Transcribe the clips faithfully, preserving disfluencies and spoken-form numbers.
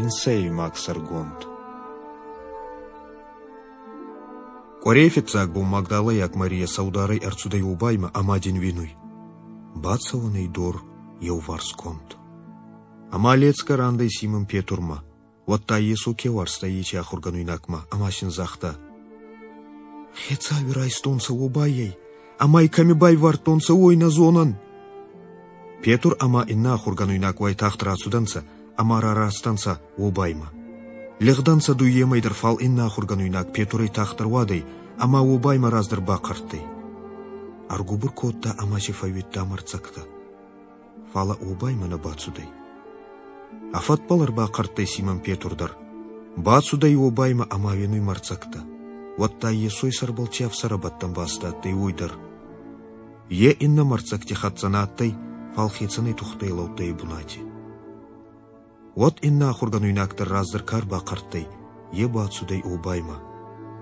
Инсӕймаг сӕргонд. Къуӕрей фиццаг бон магдалайаг Марийӕ сӕударӕй ӕрцудӕй уобаймӕ ӕма дин уинуй. Бацӕуӕнӕй дор еуварсгонд. Ӕма ледзгӕ рандӕй Симон Петурмӕ, уӕдта Йесо ке уарзта, еци ахургӕнуйнагмӕ ӕма син загъта: Хецауи райстонцӕ уобайӕй, ӕма ӕй кӕми байвардтонцӕ, уой нӕ зонӕн. Петур ӕма иннӕ ахургӕнуйнаг уайтагъд рацудӕнцӕ ӕма рараст ӕнцӕ уобаймӕ. Лигъдӕнцӕ дууемӕй дӕр, фал иннӕ ахургӕнуйнаг Петурӕй тагъддӕр уадӕй ӕма уобаймӕ раздӕр бахъӕрттӕй. Ӕргубур кодта ӕма си фӕууидта мӕрддзӕгтӕ. Фалӕ уобаймӕ нӕ бацудӕй. Ӕ фӕдбӕл ӕрбахъӕрттӕй Симон Петур дӕр. Бацудӕй уобаймӕ ӕма уинуй мӕрддзӕгтӕ. Уӕдта Йесой сӕрбӕл ци ӕфсӕрӕбӕттӕн баст адтӕй, уой дӕр. Е иннӕ мӕрддзӕгти хӕццӕ нӕ адтӕй, фал хецӕнӕй тухтӕй лӕудтӕй бунати. Уӕд иннӕ ахургӕнуйнаг дӕр раздӕр ка ӕрбахъӕрттӕй, е бацудӕй уобаймӕ.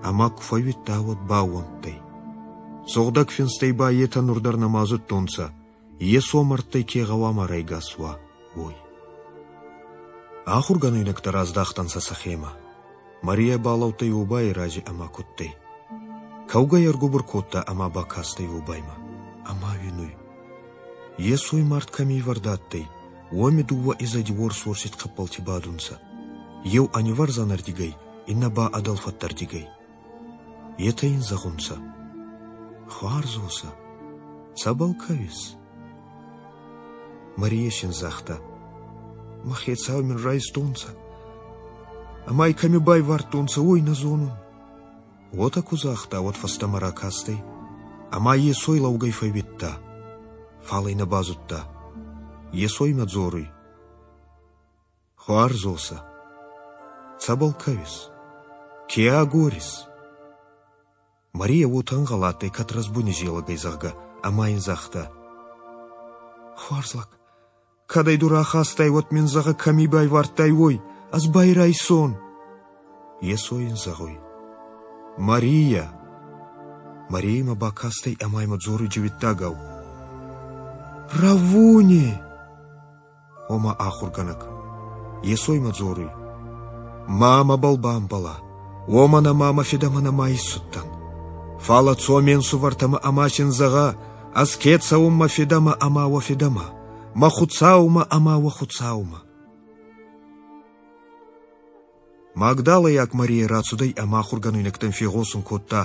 Ӕма ку фӕууидта, уӕд баууӕндтӕй. Сугъдӕг Финстӕй ба етӕ нур дӕр нӕма зудтонцӕ, Йесо мӕрдтӕй ке гъӕуама райгас уа, уой. Ахургӕнуйнӕгтӕ раздахтӕнцӕ сӕхемӕ. Марийӕ балӕудтӕй уобайи рази ӕма кудтӕй. Кӕугӕй ӕргубур кодта ӕма бакастӕй уобаймӕ. Ӕма уинуй. Йесой мард кӕми ивӕрд адтӕй, уоми дууӕ изӕди уорс-уорсид хъӕппӕлти бадунцӕ. Еу ӕ нивӕрзӕнӕрдигӕй, иннӕ ба ӕ дӕлфӕдтӕрдигӕй. Етӕ ин зӕгъунцӕ: Хуарз уосӕ, цӕбӕл кӕуис? Марийӕ син загъта: Мӕ хецауи мин райстонцӕ, ӕма ӕй кӕми байвардтонцӕ, уой нӕ зонун. Уотӕ ку загъта, уӕд фӕстӕмӕ ракастӕй ӕма Йесой лӕугӕй фӕууидта, фал ӕй нӕ базудта. Йесо имӕ дзоруй: Хуарз уосӕ, цӕбӕл кӕуис? Ке агорис? Марийӕ уотӕ ӕнгъӕл адтӕй, кӕд рӕзбуни зелӕг ӕй, зӕгъгӕ, ӕма ин загъта: Хуарз лӕг, кӕд ӕй ду рахастай, уӕд мин зӕгъӕ, кӕми байвардтай, уой, ӕз ба ӕй райсон. Йесо ин зӕгъуй: Марийӕ! Марийӕ имӕ бакастӕй ӕма имӕ дзоруй дзиуиттагау: Раввуни! Ома ахургӕнӕг. Йесо имӕ дзоруй: Ма мӕбӕл бамбӕлӕ, уомӕн ӕма мӕ Фидӕмӕ нӕма иссудтӕн. Фалӕ цо ме нсувӕртӕмӕ ӕма син зӕгъӕ, ӕз ке цӕун мӕ Фидӕмӕ ӕма уӕ Фидӕмӕ, мӕ Хуцаумӕ ӕма уӕ Хуцаумӕ. Магдалайаг Марийӕ рацудӕй ӕма ахургӕнуйнӕгтӕн фегъосун кодта,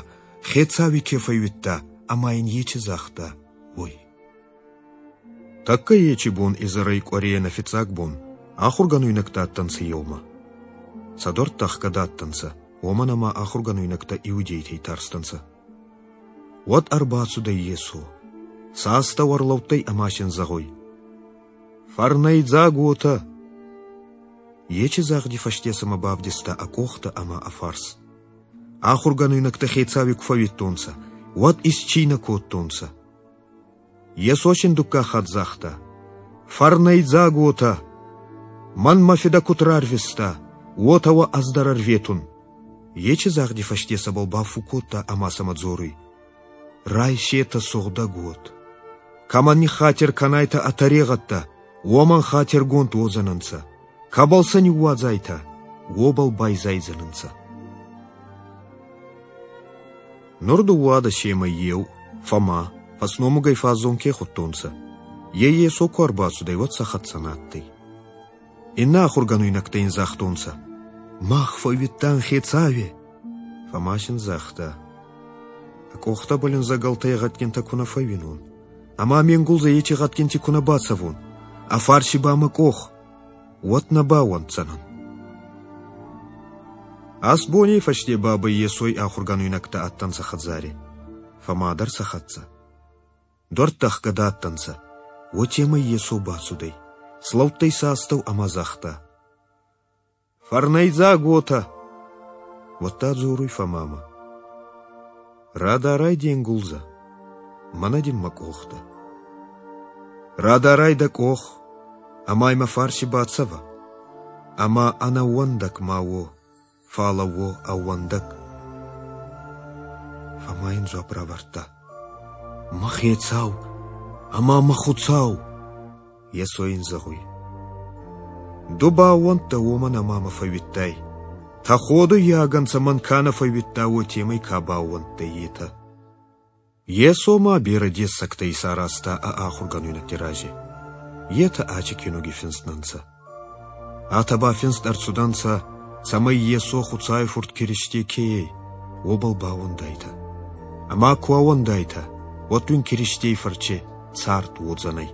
Хецауи ке фӕууидта ӕма ин ечи загъта, уой. Тӕккӕ ечи бон изӕрӕй къуӕрейӕн ӕ фиццаг бон ахургӕнуйнӕгтӕ адтӕнцӕ еумӕ. Сӕ дуӕрттӕ ӕхгӕд адтӕнцӕ, уомӕн ӕма ахургӕнуйнӕгтӕ иудейтӕй тарстӕнцӕ. Уӕд ӕрбацудӕй Йесо. Сӕ астӕу ӕрлӕудтӕй ӕма син зӕгъуй: Фӕрнӕйдзаг уотӕ! Ечи загъди фӕсте сӕмӕ бавдиста ӕ къохтӕ ӕма ӕ фарс. Ахургӕнуйнӕгтӕ Хецауи ку фӕууидтонцӕ, уӕд исцийнӕ кодтонцӕ. Йесо син дуккаг хатт загъта: Фӕрнӕйдзаг уотӕ! Мӕн мӕ Фидӕ куд рарвиста, уотӕ уӕ ӕз дӕр ӕрветун. Ечи загъди фӕсте сӕбӕл бафу кодта ӕма сӕмӕ дзоруй: Райсетӕ Сугъдӕг Уод. Кӕмӕн ниххатир кӕнайтӕ ӕ тӕрегъӕдтӕ, уомӕн хатиргонд уодзӕнӕнцӕ. Кӕбӕл сӕ ниууадзайтӕ, уобӕл байзайдзӕнӕнцӕ. Нур дууадӕсемӕй еу, Фома, фӕсномугӕй фаззон ке худтонцӕ, е Йесо ку ӕрбацудӕй, уӕд сӕ хӕццӕ нӕ адтӕй. Иннӕ ахургӕнуйнӕгтӕ ин загътонцӕ: Мах фӕууидтан Хецауи. Фома син загъта: Ӕ къохтӕбӕл ин зӕгӕлтӕй гъӕдгинтӕ ку нӕ фӕууинон, ӕма ме нгулдзӕ ечи гъӕдгинти ку нӕ бацӕвон, ӕ фарси ба мӕ къох, уӕд нӕ баууӕнддзӕнӕн. Аст боней фӕсте бабӕй Йесой ахургӕнуйнӕгтӕ адтӕнцӕ хӕдзари. Фома дӕр сӕ хӕццӕ. Дуӕрттӕ ӕхгӕд адтӕнцӕ, уотемӕй Йесо бацудӕй, слӕудтӕй сӕ астӕу ӕма загъта: Фӕрнӕйдзаг уотӕ! Уӕдта дзоруй Фомамӕ: Радарай де нгулдзӕ, мӕнӕ дин мӕ къохтӕ. Радарай дӕ къох, ӕма мӕ фарси бацӕвӕ, ӕма ӕнӕууӕндӕг ма уо, фалӕ уо ӕууӕндӕг. Фома ин дзуапп равардта: Мӕ Хецау ӕма мӕ Хуцау! Йесо ин зӕгъуй: Ду баууӕндтӕ, уомӕн ӕма мӕ фӕууидтай. Тӕходуйаг ӕнцӕ, мӕн ка нӕ фӕууидта, уотемӕй ка баууӕндтӕй, етӕ. Йесо ма берӕ дессӕгтӕ исаразта ӕ ахургӕнуйнӕгти рази. Етӕ аци киунуги финст нӕ нцӕ. Атӕ ба финст ӕрцудӕнцӕ, цӕмӕй Йесо Хуцауи Фурт Киристе ке ӕй, уобӕл баууӕндайтӕ. Ӕма ку ӕууӕндайтӕ, уӕд уин Киристей фӕрци цард уодзӕнӕй.